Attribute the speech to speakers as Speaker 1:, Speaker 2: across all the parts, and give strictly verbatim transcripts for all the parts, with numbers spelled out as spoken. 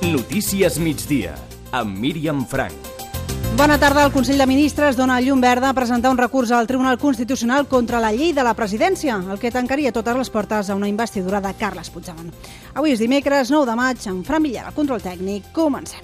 Speaker 1: Notícies migdia, amb Míriam Frank.
Speaker 2: Bona tarda. El Consell de Ministres dona llum verda a presentar un recurs al Tribunal Constitucional contra la llei de la presidència, el que tancaria totes les portes a una investidura de Carles Puigdemont. Avui és dimecres, nou de maig, en Fran Villar, el control tècnic. Comencem.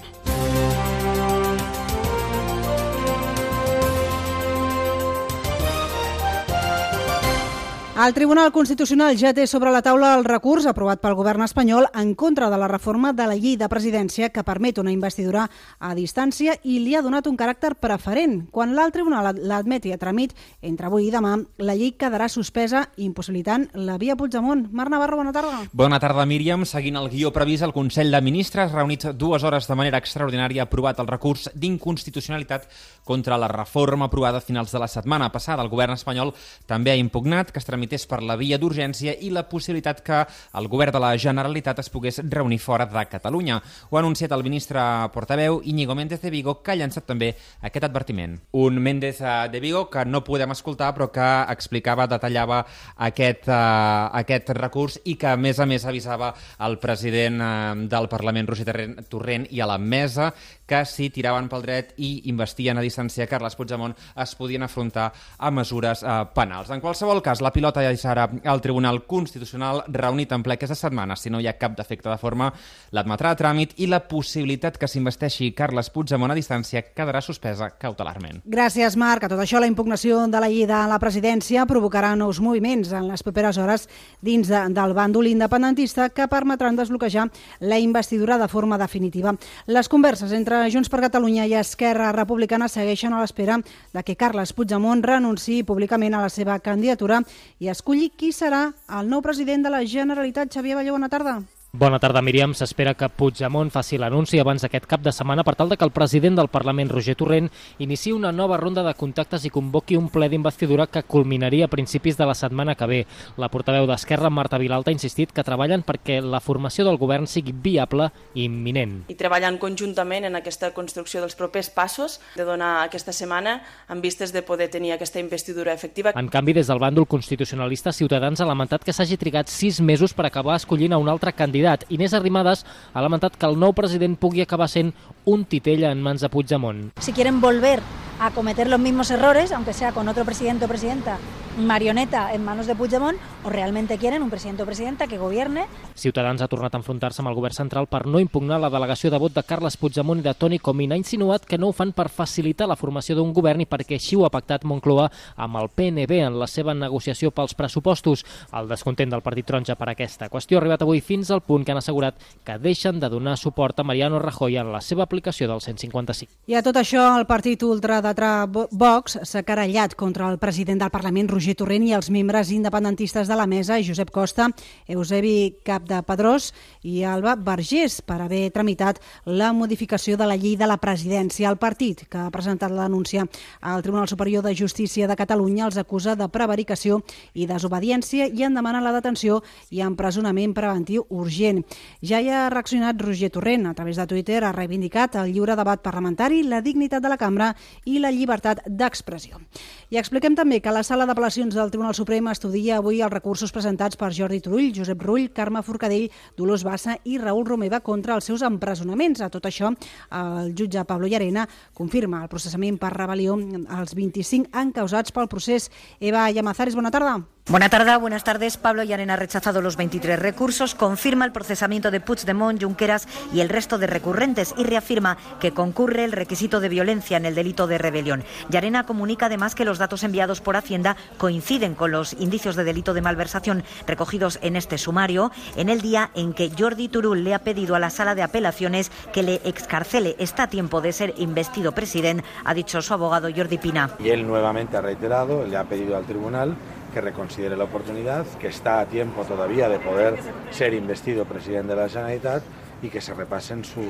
Speaker 2: El Tribunal Constitucional ja té sobre la taula el recurs aprovat pel govern espanyol en contra de la reforma de la llei de presidència que permet una investidura a distància i li ha donat un caràcter preferent. Quan l'alt tribunal l'admeti a tràmit entre avui i demà, la llei quedarà suspesa impossibilitant la via Puigdemont. Marc Navarro, bona tarda.
Speaker 3: Bona tarda, Míriam. Seguint el guió previst, el Consell de Ministres, reunit dues hores de manera extraordinària, ha aprovat el recurs d'inconstitucionalitat contra la reforma aprovada a finals de la setmana passada. El govern espanyol també ha impugnat que es tramités per la via d'urgència i la possibilitat que el govern de la Generalitat es pogués reunir fora de Catalunya. Ho ha anunciat el ministre portaveu Íñigo Méndez de Vigo, que ha llançat també aquest advertiment. Un Méndez de Vigo que no podem escoltar, però que explicava, detallava aquest, uh, aquest recurs i que, a més a més, avisava el president uh, del Parlament, Roger Torrent, i a la mesa que si tiraven pel dret i investien a distància Carles Puigdemont es podien afrontar a mesures uh, penals. En qualsevol cas, la pilota ja serà al Tribunal Constitucional reunit en ple aquesta setmana. Si no hi ha cap defecte de forma, l'admetrà a tràmit i la possibilitat que s'investeixi Carles Puigdemont a distància quedarà suspesa cautelarment.
Speaker 2: Gràcies, Marc. A tot això, la impugnació de la llei de la presidència provocarà nous moviments en les properes hores dins de, del bàndol independentista que permetran desbloquejar la investidura de forma definitiva. Les converses entre Junts per Catalunya i Esquerra Republicana segueixen a l'espera de que Carles Puigdemont renunciï públicament a la seva candidatura i escolli qui serà el nou president de la Generalitat. Xavier Balló, bona tarda.
Speaker 4: Bona tarda, Míriam. S'espera que Puigdemont faci l'anunci abans d'aquest cap de setmana per tal de que el president del Parlament, Roger Torrent, iniciï una nova ronda de contactes i convoqui un ple d'investidura que culminaria a principis de la setmana que ve. La portaveu d'Esquerra, Marta Vilalta, ha insistit que treballen perquè la formació del govern sigui viable i imminent.
Speaker 5: I treballant conjuntament en aquesta construcció dels propers passos de donar aquesta setmana en vistes de poder tenir aquesta investidura efectiva.
Speaker 4: En canvi, des del bàndol constitucionalista, Ciutadans ha lamentat que s'hagi trigat sis mesos per acabar escollint a un altre candidat. Inés Arrimadas ha lamentat que el nou president pugui acabar sent un titell en mans de Puigdemont.
Speaker 6: Si quieren volver a cometer los mismos errores, aunque sea con otro presidente o presidenta marioneta en manos de Puigdemont, o realmente quieren un presidente o presidenta que gobierne.
Speaker 4: Ciutadans ha tornat a enfrontar-se amb el govern central per no impugnar la delegació de vot de Carles Puigdemont i de Toni Comín. Ha insinuat que no ho fan per facilitar la formació d'un govern i perquè així ho ha pactat Moncloa amb el P N B en la seva negociació pels pressupostos. El descontent del Partit Taronja per aquesta qüestió ha arribat avui fins al punt que han assegurat que deixen de donar suport a Mariano Rajoy en la seva aplicació del cent cinquanta-cinc.
Speaker 2: I a tot això, el partit ultradretà Vox s'ha querellat contra el president del Parlament, Roger Torrent, i els membres independentistes de la mesa, Josep Costa, Eusebi Capdepadrós i Alba Vergés, per haver tramitat la modificació de la llei de la presidència. El partit, que ha presentat la denúncia al Tribunal Superior de Justícia de Catalunya, els acusa de prevaricació i desobediència i en demana la detenció i empresonament preventiu urgent. Ja hi ha reaccionat Roger Torrent. A través de Twitter ha reivindicat el lliure debat parlamentari, la dignitat de la cambra i la llibertat d'expressió. I expliquem també que la Sala d'Apel·lacions del Tribunal Suprem estudia avui els recursos presentats per Jordi Turull, Josep Rull, Carme Forcadell, Dolors Bassa i Raül Romeva contra els seus empresonaments. A tot això, el jutge Pablo Llarena confirma el processament per rebel·lió als vint-i-cinc encausats pel procés. Eva Llamazares, bona tarda.
Speaker 7: Buenas tardes, buenas tardes. Pablo Llarena ha rechazado los veintitrés recursos, confirma el procesamiento de Puigdemont, Junqueras y el resto de recurrentes y reafirma que concurre el requisito de violencia en el delito de rebelión. Llarena comunica además que los datos enviados por Hacienda coinciden con los indicios de delito de malversación recogidos en este sumario en el día en que Jordi Turull le ha pedido a la Sala de Apelaciones que le excarcele. Está a tiempo de ser investido presidente, ha dicho su abogado Jordi Pina.
Speaker 8: Y él nuevamente ha reiterado, le ha pedido al tribunal que reconsidere la oportunidad, que está a tiempo todavía de poder ser investido presidente de la Generalitat y que se repasen su,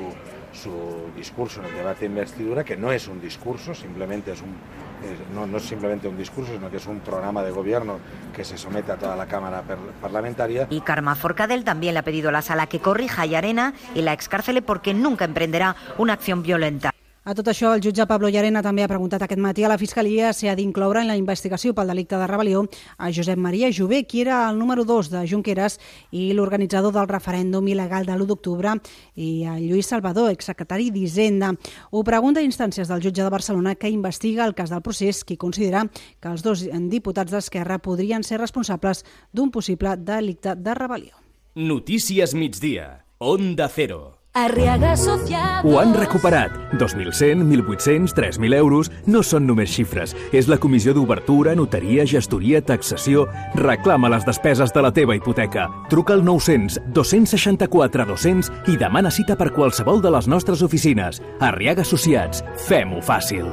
Speaker 8: su discurso en el debate de investidura, que no es un discurso, simplemente es un, es, no, no es simplemente un discurso, sino que es un programa de gobierno que se somete a toda la Cámara per, parlamentaria.
Speaker 7: Y Carme Forcadell también le ha pedido a la Sala que corrija a Llarena y la excárcele porque nunca emprenderá una acción violenta.
Speaker 2: A tot això, el jutge Pablo Llarena també ha preguntat aquest matí a la Fiscalia si ha d'incloure en la investigació pel delicte de rebel·lió a Josep Maria Jové, qui era el número dos de Junqueras i l'organitzador del referèndum il·legal de l'u d'octubre, i a Lluís Salvador, exsecretari d'Hisenda. Ho pregunta a instàncies del jutge de Barcelona, que investiga el cas del procés, qui considera que els dos diputats d'Esquerra podrien ser responsables d'un possible delicte de rebel·lió.
Speaker 1: Notícies migdia. Onda Cero.
Speaker 9: Arriaga Asociados.
Speaker 10: Ho han recuperat. dos mil cent, mil vuit-cents, tres mil euros no són només xifres. És la comissió d'obertura, notaria, gestoria, taxació. Reclama les despeses de la teva hipoteca. Truca al nou-cents, dos-cents seixanta-quatre, dos-cents i demana cita per qualsevol de les nostres oficines. Arriaga Associats. Fem-ho fàcil.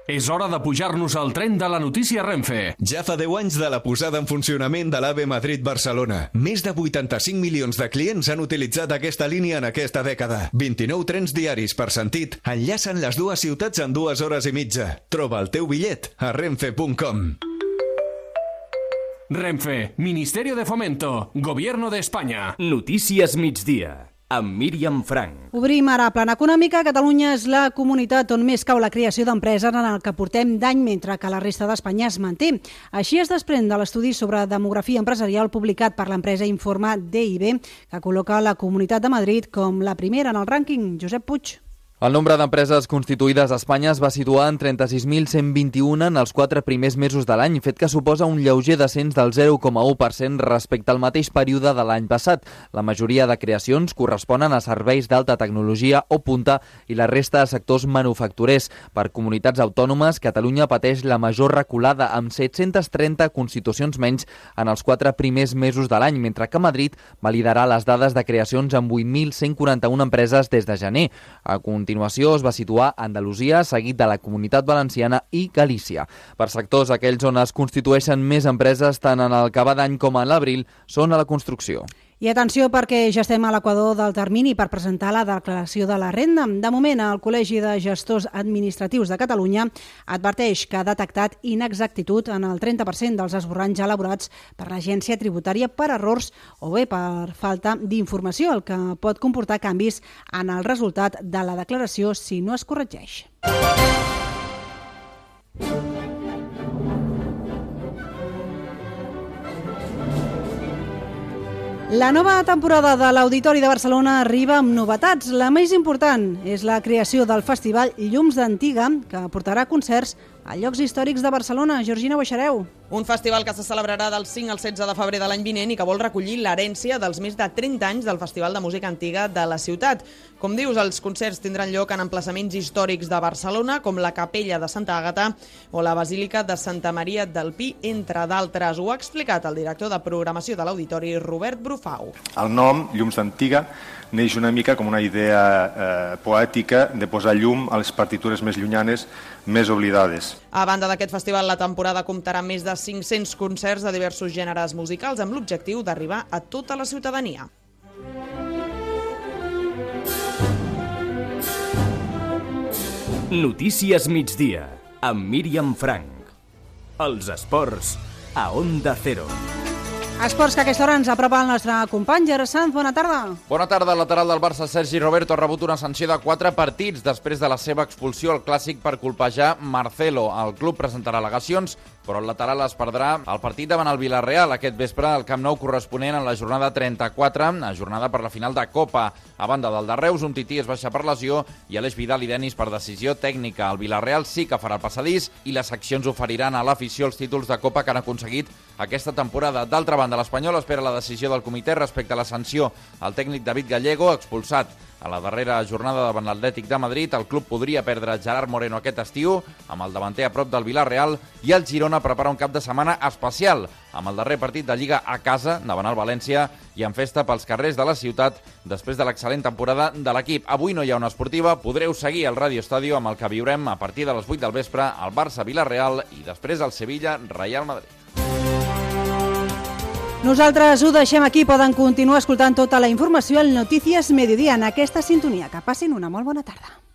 Speaker 11: És hora de pujar-nos al tren de la notícia Renfe.
Speaker 12: Ja fa deu anys de la posada en funcionament de l'AVE Madrid-Barcelona. Més de vuitanta-cinc milions de clients han utilitzat aquesta línia en aquesta dècada. vint-i-nou trens diaris per sentit enllacen les dues ciutats en dues hores i mitja. Troba el teu bitllet a renfe punt com.
Speaker 11: Renfe, Ministerio de Fomento, Gobierno de España.
Speaker 1: Notícies migdia, amb Míriam Frank.
Speaker 2: Obrim ara Plana Econòmica. Catalunya és la comunitat on més cau la creació d'empreses en el que portem d'any, mentre que la resta d'Espanya es manté. Així es desprèn de l'estudi sobre demografia empresarial publicat per l'empresa Informa D I B, que col·loca la Comunitat de Madrid com la primera en el rànquing. Josep Puig.
Speaker 13: El nombre d'empreses constituïdes a Espanya es va situar en trenta-sis mil cent vint-i-un en els quatre primers mesos de l'any, fet que suposa un lleuger descens del zero coma u per cent respecte al mateix període de l'any passat. La majoria de creacions corresponen a serveis d'alta tecnologia o punta i la resta a sectors manufacturers. Per comunitats autònomes, Catalunya pateix la major reculada, amb set-cents trenta constitucions menys en els quatre primers mesos de l'any, mentre que Madrid va liderar les dades de creacions amb vuit mil cent quaranta-una empreses des de gener. A A continuació es va situar Andalusia, seguit de la Comunitat Valenciana i Galícia. Per sectors, aquells on es constitueixen més empreses tant en el que va d'any com en l'abril són a la construcció.
Speaker 2: I atenció, perquè ja estem a l'equador del termini per presentar la declaració de la renda. De moment, el Col·legi de Gestors Administratius de Catalunya adverteix que ha detectat inexactitud en el trenta per cent dels esborranys elaborats per l'Agència Tributària per errors o bé per falta d'informació, el que pot comportar canvis en el resultat de la declaració si no es corregeix. La nova temporada de l'Auditori de Barcelona arriba amb novetats. La més important és la creació del festival Llums d'Antiga, que portarà concerts a llocs històrics de Barcelona. Georgina Boixareu.
Speaker 14: Un festival que se celebrarà del cinc al setze de febrer de l'any vinent i que vol recollir l'herència dels més de trenta anys del Festival de Música Antiga de la ciutat. Com dius, els concerts tindran lloc en emplaçaments històrics de Barcelona, com la Capella de Santa Àgata o la Basílica de Santa Maria del Pi, entre d'altres. Ho ha explicat el director de programació de l'Auditori, Robert Brufau.
Speaker 15: El nom, Llums d'Antiga, neix una mica com una idea eh, poètica de posar llum a les partitures més llunyanes, més oblidades.
Speaker 14: A banda d'aquest festival, la temporada comptarà més de cinc-cents concerts de diversos gèneres musicals amb l'objectiu d'arribar a tota la ciutadania.
Speaker 1: Notícies migdia, amb Míriam Frank. Els esports a Onda Cero.
Speaker 2: Esports que a aquesta hora ens apropa el nostre company Gerard Sanz. Bona tarda.
Speaker 3: Bona tarda. El lateral del Barça, Sergi Roberto, ha rebut una sanció de quatre partits després de la seva expulsió al Clàssic per colpejar Marcelo. El club presentarà al·legacions, però el lateral es perdrà el partit davant el Villarreal aquest vespre al Camp Nou corresponent en la jornada trenta-quatre, jornada per la final de Copa. A banda del de Reus, un tití es baixa per lesió i Aleix Vidal i Denis per decisió tècnica. El Villarreal sí que farà el passadís i les seccions oferiran a l'afició els títols de Copa que han aconseguit aquesta temporada. D'altra banda, l'Espanyol espera la decisió del comitè respecte a la sanció al tècnic David Gallego, expulsat a la darrera jornada davant l'Atlètic de Madrid. El club podria perdre Gerard Moreno aquest estiu, amb el davanter a prop del Villarreal, i el Girona prepara un cap de setmana especial, amb el darrer partit de Lliga a casa, davant el València, i en festa pels carrers de la ciutat, després de l'excel·lent temporada de l'equip. Avui no hi ha una esportiva, podreu seguir el Radio Estadio amb el que viurem a partir de les vuit del vespre al Barça-Villarreal i després al Sevilla-Real Madrid.
Speaker 2: Nosaltres ho deixem aquí. Poden continuar escoltant tota la informació al Notícies Mediodía en aquesta sintonia. Que passin una molt bona tarda.